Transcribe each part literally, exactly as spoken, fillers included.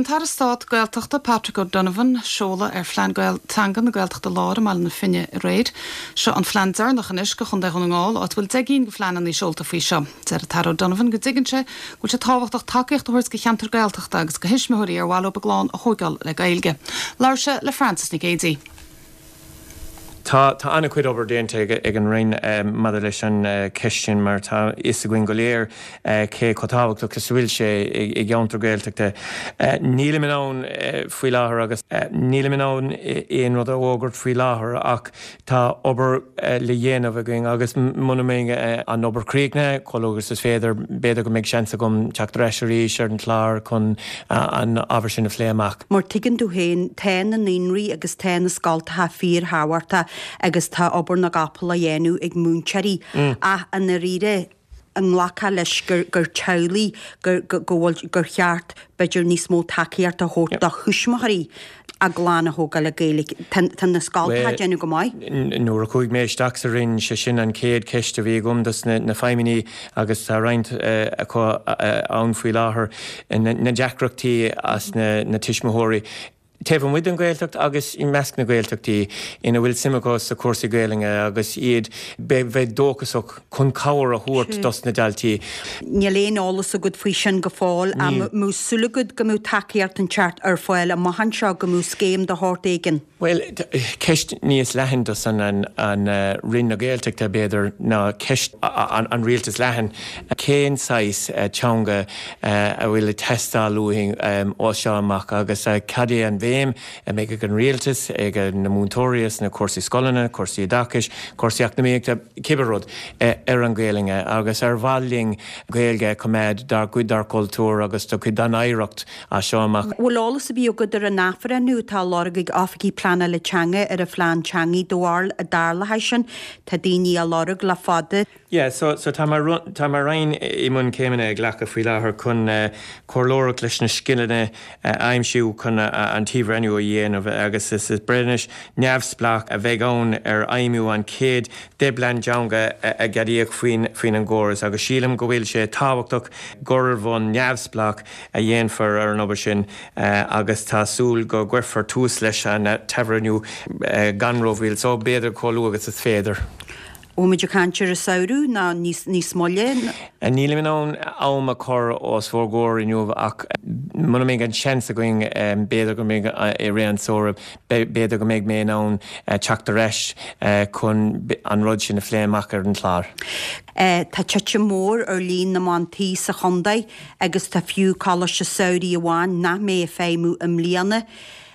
an tAire Stáit Gaeltachta Patrick O'Donovan seoladh ar phlean Gael teanga na Gaeltachta Láir i mBaile na Finne aréir. Seo an phlean deireanach anois do Chontae Dhún na nGall áit bhfuil deich gcinn de phleananna seolta faoi seo. Deir an tAire O'Donovan go dtuigeann sé go bhfuil sé tábhachtach tacaíocht a thabhairt do cheantair Gaeltachta agus do thuismitheoirí ar mhaith leo a gclann a thógáil le Gaeilge. Labhair sé le Francis Nic Géadaigh. Tá tá an-chuid obair déanta ag, ag an Roinn um, maidir leis an uh, ceist sin mar tá fhios againn go léir uh, cé chomh tábhachtach is bhfuil sé i gceantar Gaeltachta. Uh, Nílim in ann uh, faoi láthair agus uh, nílim in ann aon rud a fhógairt faoi láthair ach tá obair uh, le déanamh againn agus muna mbeidh uh, an obair críochnaithe chomh luath agus is féidir b'fhéidir go mbeidh seans agam teacht ar ais arís ar an chlár chun uh, an ábhar sin a phlé amach. Mar tuigeann tú féin tá na naíonraí agus tá na scoltacha fíorthábhachtach agus tá obair na gcapall á dhéanamh ag múinteoirí mm. ach an ríre an nglacfá leis gur gur teaghlaigh gur gur gur cheart b'fhéidir níos mó tacaíocht a thabhairt do thuismitheoirí a gclann a thógáil le Gaeilge tá na scoltacha déanamh go maith. Nuair a chuaigh mé isteach sa Roinn sé sin an chéad cheist a bhí agam dos na, na feidhmeannaigh agus tá roinnt uh, acu uh, ann faoi láthair na deacrachtaí as na, na tuismitheoirí. Taobh amuigh den Ghaeltacht agus i measc na Gaeltachtaí ina bhfuil suim acu sa cúrsaí Gaeilge agus iad bheith dóchasach chun cabhair a thabhairt dos na daltaí. Níl aon eolas agat faoi sin go fóill an súil agat go mbeadh tacaíocht an ceart ar fáil amach anseo go mbeadh scéim de shórt éigin. Well ceist níos leithne dos an an, an uh, Roinn na Gaeltachta b'fhéidir ná ceist an, an rialtas leathan cén saghas uh, teanga uh, a bhfuil teastáil uainn um, ó seo amach agus uh, cad é an bhéim a mbeidh ag an rialtas ag na múinteoirí na cúrsaí scoileanna, cúrsaí oideachais, cúrsaí eacnamaíochta cibé rud ar an Ghaeilge agus ar mhaith linn Gaeilge coimeád dar cuid dár gcultúr agus do cuid den oidhreacht as seo amach. Bhfuil eolas ar bith agat ar an athbhreithniú atá lorg ag oifigigh pleanála teanga ar a phlean teanga dóáil a darla sin tá daoine á lorg le fada. Yeah, so, so tá tá mo Roinn i mbun céimeanna a ghlacadh faoi láthair chun uh, comhairleoireacht leis na scileanna uh, aimsiú chun uh, an t-athbhreithniú a dhéanamh agus is is breithniú neamhspleách a bheidh ann ar fheidhmiú an chéad deich bplean teanga a ceadaíodh faoin faoin an gcóras agus sílim go bhfuil sé tábhachtach gur bhonn neamhspleách a dhéanfar ar an obair sin uh, agus tá súil go gcuirfear tús leis an t-athbhreithniú uh, gan rómhoill, so b'fhéidir chomh luath agus is féidir. Bhfuil caint ar an samhradh ná níos níos moille? Nílim in ann am a chur os bhur gcomhair inniu ach muna mbeidh an seans againn b'fhéidir go mbeidh i rith an tsamhraidh b'fhéidir go mbeidh mé in ann teacht ar ais chun an rud sin a phlé amach ar an chlár. Tá titim mór ar líon na mban tí sa chontae agus tá fiú coláiste samhraidh amháin nach mbeidh ag feidhmiú i mbliana.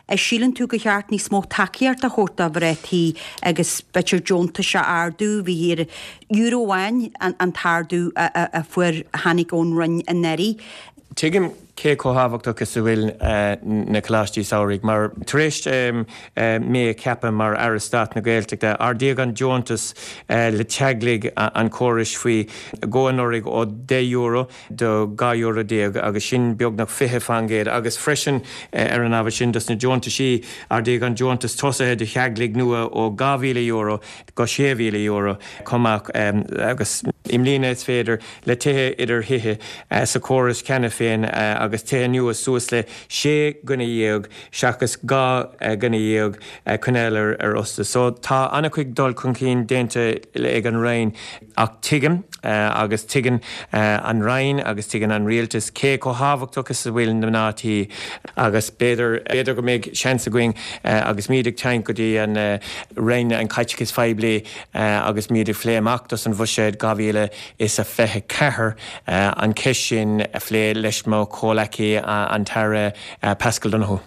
Síleann tú gur cheart níos mó tacaíocht a thabhairt do mhná tí agus b'fhéidir deontais a ardú bhí ar euro amháin an t-ardú a fuair tháinig ón Roinn anuraidh. Tuigim cé chomh tábhachtach is a bhfuil uh, na coláistí samhraidh, mar tar éis um, uh, mé a cheapadh mar Aire Stáit na Gaeltachta ardaíodh an deontas uh, le teaghlaigh an chórais faoi dhó anuraidh ó deich euro do dhá euro déag agus sin beagnach fiche faoin gcéad agus freisin uh, ar an ábhar sin dos na deontaisí ardaíodh an deontas tosaithe do theaghlaigh nua ó dhá mhíle euro go sé mhíle euro cumach um, agus i mbliana is féidir le tithe idir thithe uh, sa chóras cheana féin uh, agus tithe nua suas le sé dhuine dhéag seachas dhá dhuine dhéag coinneáil ar ar fhostú. So tá an-chuid dul chun cinn déanta ag an Roinn ach tuigim agus tuigeann an Roinn agus tuigeann an rialtas cé chomh tábhachtach is a bhfuil na mná tí agus b'fhéidir b'fhéidir go mbeidh seans againn agus muid ag teacht go dtí an Roinn an chaiteachais phoiblí agus muid ag plé amach dos an bhuiséad dhá mhíle is a fiche ceathair an ceist sin a phlé leis mo chomhghleacaí an tAire Paschal Donohoe.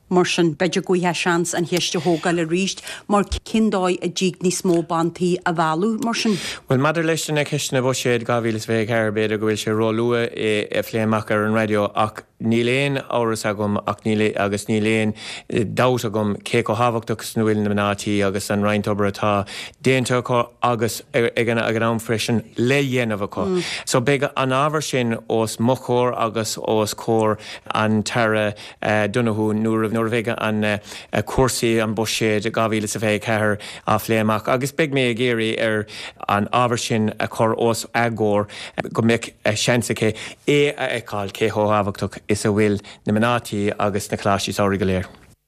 Mar sin b'fhéidir go bhfuil seans an cheist a thógáil arís mar cén dóigh a dtig níos mó ban tí a mhealladh mar sin. Well maidir leis na ceisteanna buiséad dhá mhíle is fiche ceathair b'fhéidir go bhfuil sé róluath é a phlé amach ar an raidió ach níl aon amhras agam ach níl agus níl aon dabht agam cé chomh tábhachtach is a bhfuil na mná tí agus an roinnt obair atá déanta acu agus ag an ag an am freisin le dhéanamh acu. Mm. So beidh an ábhar sin os mo chomhair agus os comhair an tAire uh, Donohoe nuair nuair a bheidh an uh, cúrsaí an buiséad dhá mhíle is fiche ceathair á phlé amach agus beidh mé ag iarraidh ar an ábhar sin a chur os a gcomhair go mbeidh seans aici é a fheiceáil cé chomh tábhachtach is a bhfuil na mná tí agus na coláistí samhraidh go léir.